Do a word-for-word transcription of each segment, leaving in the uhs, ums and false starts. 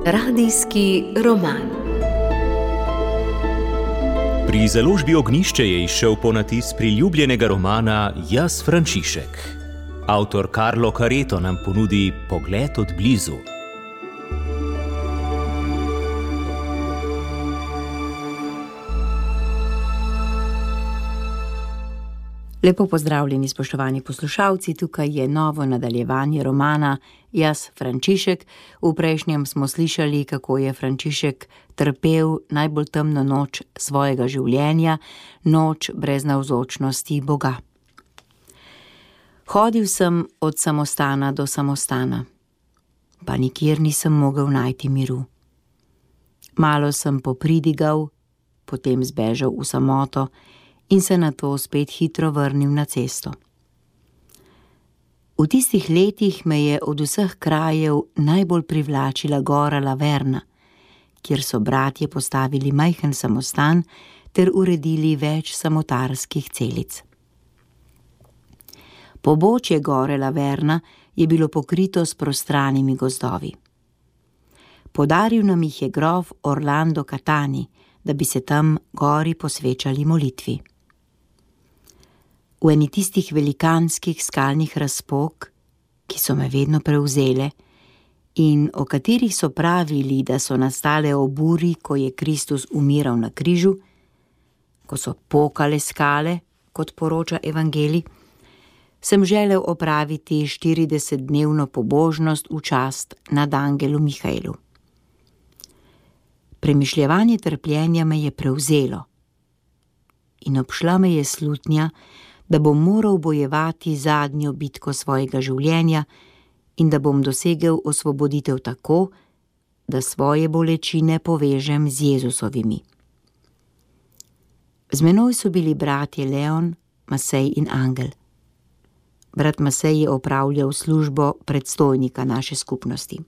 Radijski roman. Pri založbi Ognjišče je izšel ponatis priljubljenega romana Jaz, Frančišek. Avtor Carlo Careto nam ponudi pogled od blizu. Lepo pozdravljeni, spoštovani poslušalci, tukaj je novo nadaljevanje romana Jaz, Frančišek. V prejšnjem smo slišali, kako je Frančišek trpel najbolj temno noč svojega življenja, noč brez navzočnosti Boga. Hodil sem od samostana do samostana, pa nikjer nisem mogel najti miru. Malo sem popridigal, potem zbežal v samoto in se nato spet hitro vrnil na cesto. V tistih letih me je od vseh krajev najbolj privlačila gora Laverna, kjer so bratje postavili majhen samostan ter uredili več samotarskih celic. Pobočje gore Laverna je bilo pokrito s prostranimi gozdovi. Podaril nam jih je grof Orlando Catani, da bi se tam gori posvečali molitvi. V eni tistih velikanskih skalnih razpok, ki so me vedno prevzele in o katerih so pravili, da so nastale ob uri, ko je Kristus umiral na križu, ko so pokale skale, kot poroča evangelij, sem želel opraviti štiridesetdnevno pobožnost v čast nad angelu Mihaelu. Premišljevanje trpljenja me je prevzelo in obšla me je slutnja, da bom moral bojevati zadnjo bitko svojega življenja in da bom dosegel osvoboditev tako, da svoje bolečine povežem z Jezusovimi. Z menoj so bili bratje Leon, Masej in Angel. Brat Masej je opravljal službo predstojnika naše skupnosti.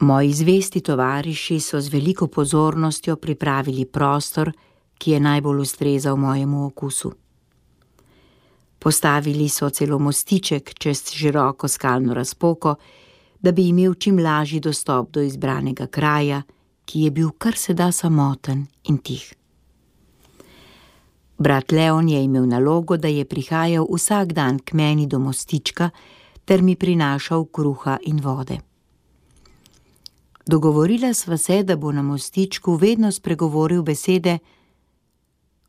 Moji zvesti tovariši so z veliko pozornostjo pripravili prostor, ki je najbolj ustrezal mojemu okusu. Postavili so celo mostiček čez široko skalno razpoko, da bi imel čim lažji dostop do izbranega kraja, ki je bil kar se da samoten in tih. Brat Leon je imel nalogo, da je prihajal vsak dan k meni do mostička ter mi prinašal kruha in vode. Dogovorila sva se, da bo na mostičku vedno spregovoril besede: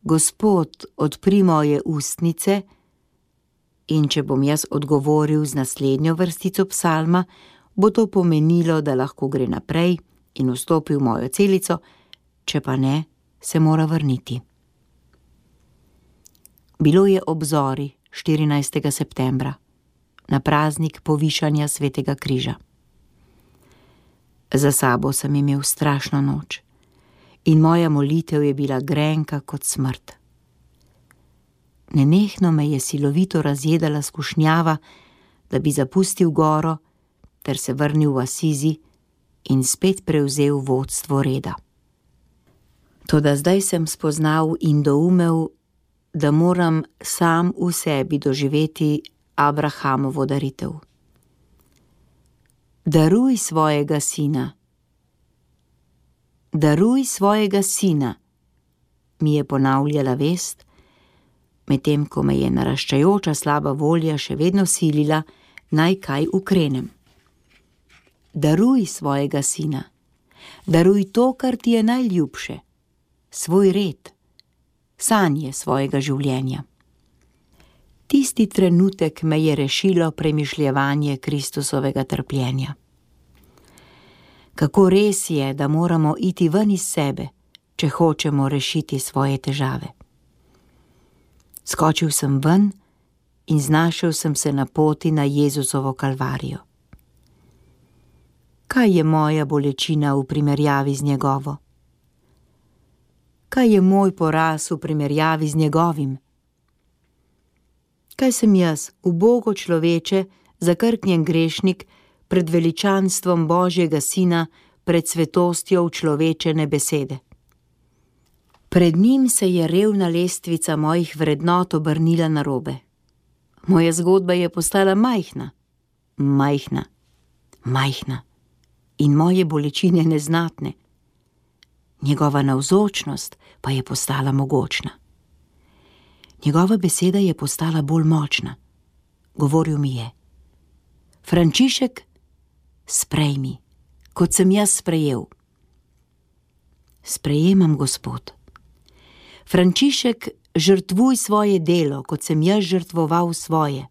Gospod, odpri moje ustnice, in če bom jaz odgovoril z naslednjo vrstico psalma, bo to pomenilo, da lahko gre naprej in vstopi v mojo celico, če pa ne, se mora vrniti. Bilo je ob zori štirinajstega septembra, na praznik povišanja Svetega križa. Za sabo sem imel strašno noč in moja molitev je bila grenka kot smrt. Nenehno me je silovito razjedala skušnjava, da bi zapustil goro ter se vrnil v Asizi in spet prevzel vodstvo reda. Toda zdaj sem spoznal in doumel, da moram sam v sebi doživeti Abrahamovo daritev. Daruj svojega sina. Daruj svojega sina, mi je ponavljala vest, medtem ko me je naraščajoča slaba volja še vedno silila, naj kaj ukrenem. Daruj svojega sina, daruj to, kar ti je najljubše, svoj red, sanje svojega življenja. Tisti trenutek me je rešilo premišljevanje Kristusovega trpljenja. Kako res je, da moramo iti ven iz sebe, če hočemo rešiti svoje težave. Skočil sem ven in znašel sem se na poti na Jezusovo kalvarijo. Kaj je moja bolečina v primerjavi z njegovo? Kaj je moj poraz v primerjavi z njegovim? Kaj sem jaz, ubogo človeče, zakrknjen grešnik, pred veličanstvom Božjega Sina, pred svetostjo človečene besede? Pred njim se je revna lestvica mojih vrednot obrnila narobe. Moja zgodba je postala majhna, majhna, majhna in moje bolečine neznatne. Njegova navzočnost pa je postala mogočna. Njegova beseda je postala bolj močna. Govoril mi je: Frančišek, sprejmi, kot sem jaz sprejel. Sprejemam, Gospod. Frančišek, žrtvuj svoje delo, kot sem jaz žrtvoval svoje.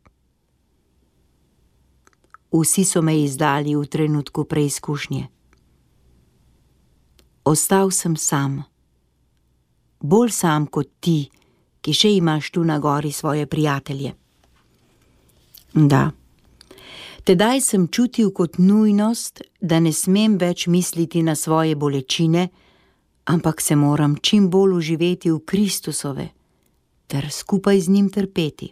Vsi so me izdali v trenutku preizkušnje. Ostal sem sam, bolj sam kot ti, ki še imaš tu na gori svoje prijatelje. Da, tedaj sem čutil kot nujnost, da ne smem več misliti na svoje bolečine, ampak se moram čim bolj uživeti v Kristusove ter skupaj z njim trpeti.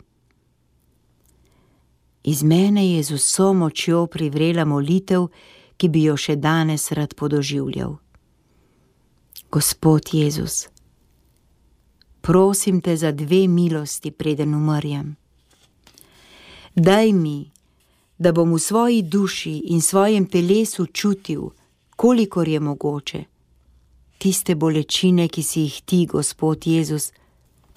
Iz mene je z vso močjo privrela molitev, ki bi jo še danes rad podoživljal. Gospod Jezus, prosim te za dve milosti, preden umrjem. Daj mi, da bom v svoji duši in svojem telesu čutil, kolikor je mogoče, tiste bolečine, ki si jih ti, Gospod Jezus,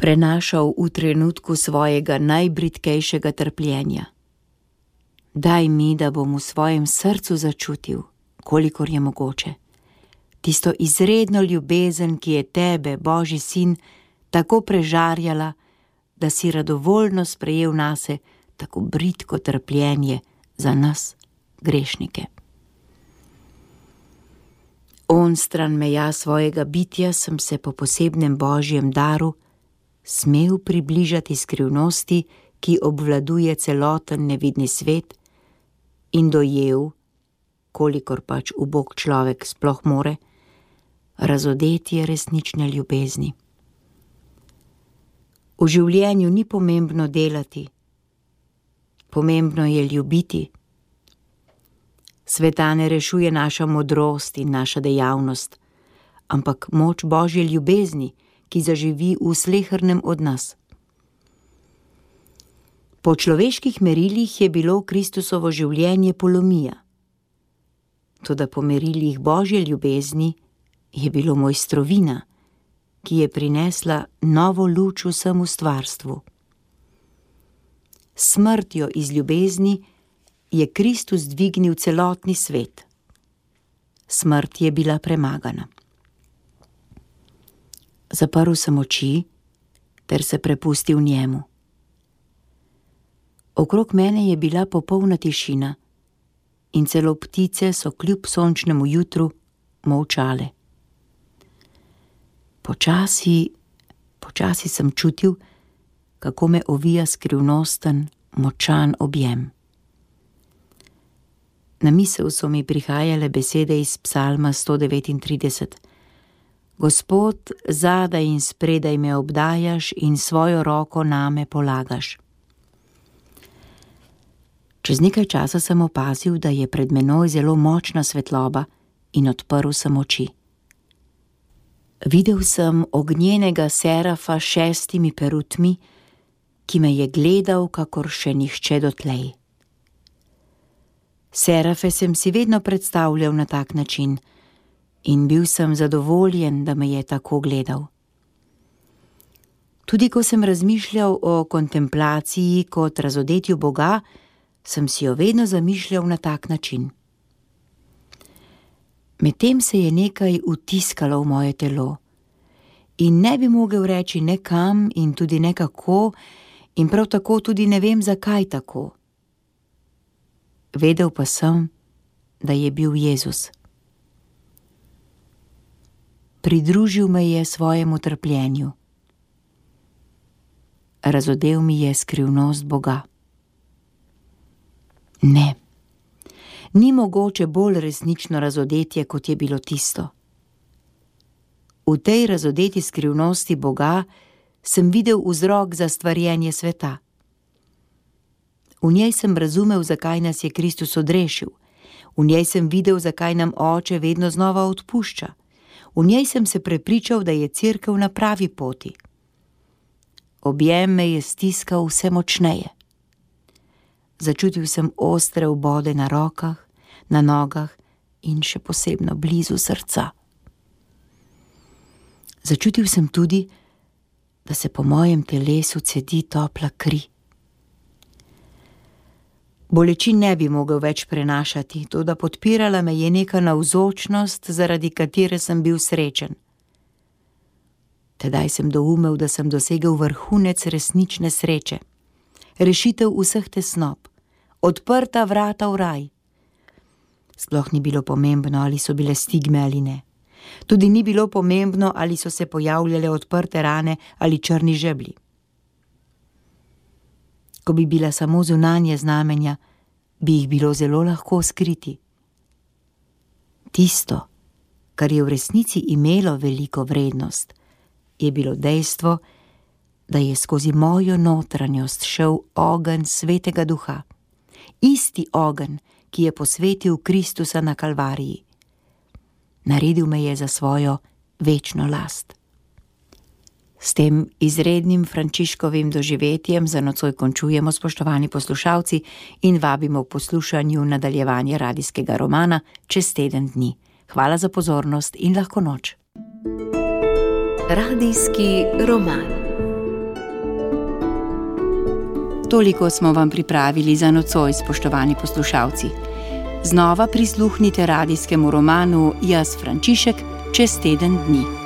prenašal v trenutku svojega najbridkejšega trpljenja. Daj mi, da bom v svojem srcu začutil, kolikor je mogoče, tisto izredno ljubezen, ki je tebe, Božji sin, tako prežarjala, da si radovoljno sprejel nase tako bridko trpljenje za nas, grešnike. Onstran meja svojega bitja sem se po posebnem Božjem daru smel približati skrivnosti, ki obvladuje celoten nevidni svet, in dojel, kolikor pač ubog človek sploh more, razodetje resnične ljubezni. V življenju ni pomembno delati, pomembno je ljubiti. Sveta ne rešuje naša modrost in naša dejavnost, ampak moč Božje ljubezni, ki zaživi v slehernem od nas. Po človeških merilih je bilo Kristusovo življenje polomija, toda po merilih Božje ljubezni je bilo mojstrovina, ki je prinesla novo luč vsemu stvarstvu. Smrtjo iz ljubezni je Kristus dvignil celotni svet. Smrt je bila premagana. Zaprl sem oči ter se prepustil njemu. Okrog mene je bila popolna tišina in celo ptice so kljub sončnemu jutru molčale. Počasi, počasi sem čutil, kako me ovija skrivnosten, močan objem. Na misel so mi prihajale besede iz psalma sto devetintrideset. Gospod, zadaj in spredaj me obdajaš in svojo roko name polagaš. Čez nekaj časa sem opazil, da je pred menoj zelo močna svetloba in odprl sem oči. Videl sem ognjenega serafa s šestimi perutmi, ki me je gledal, kakor še nihče dotlej. Serafe sem si vedno predstavljal na tak način in bil sem zadovoljen, da me je tako gledal. Tudi ko sem razmišljal o kontemplaciji kot razodetju Boga, sem si jo vedno zamišljal na tak način. Medtem se je nekaj vtiskalo v moje telo in ne bi mogel reči ne kam in tudi ne kako in prav tako tudi ne vem, zakaj tako. Vedel pa sem, da je bil Jezus. Pridružil me je svojemu trpljenju. Razodel mi je skrivnost Boga. Ne, ni mogoče bolj resnično razodetje, kot je bilo tisto. V tej razodeti skrivnosti Boga sem videl vzrok za stvarjenje sveta. V njej sem razumel, zakaj nas je Kristus odrešil. V njej sem videl, zakaj nam Oče vedno znova odpušča. V njej sem se prepričal, da je Cerkev na pravi poti. Objem me je stiskal vse močneje. Začutil sem ostre vbode na rokah, na nogah in še posebno blizu srca. Začutil sem tudi, da se po mojem telesu cedi topla kri. Bolečin ne bi mogel več prenašati, toda podpirala me je neka navzočnost, zaradi katere sem bil srečen. Tedaj sem doumel, da sem dosegel vrhunec resnične sreče, rešitev vseh tesnob, odprta vrata v raj. Sploh ni bilo pomembno, ali so bile stigme ali ne. Tudi ni bilo pomembno, ali so se pojavljale odprte rane ali črni žeblji. Ko bi bila samo zunanje znamenja, bi jih bilo zelo lahko skriti. Tisto, kar je v resnici imelo veliko vrednost, je bilo dejstvo, da je skozi mojo notranjost šel ogenj Svetega Duha. Isti ogenj, ki je posvetil Kristusa na Kalvariji. Naredil me je za svojo večno last. S tem izrednim Frančiškovim doživetjem za nocoj končujemo, spoštovani poslušalci, in vabimo v poslušanju nadaljevanje radijskega romana čez teden dni. Hvala za pozornost in lahko noč. Radijski roman. Toliko smo vam pripravili za nocoj, spoštovani poslušalci. Znova prisluhnite radijskemu romanu Jaz Frančišek čez teden dni.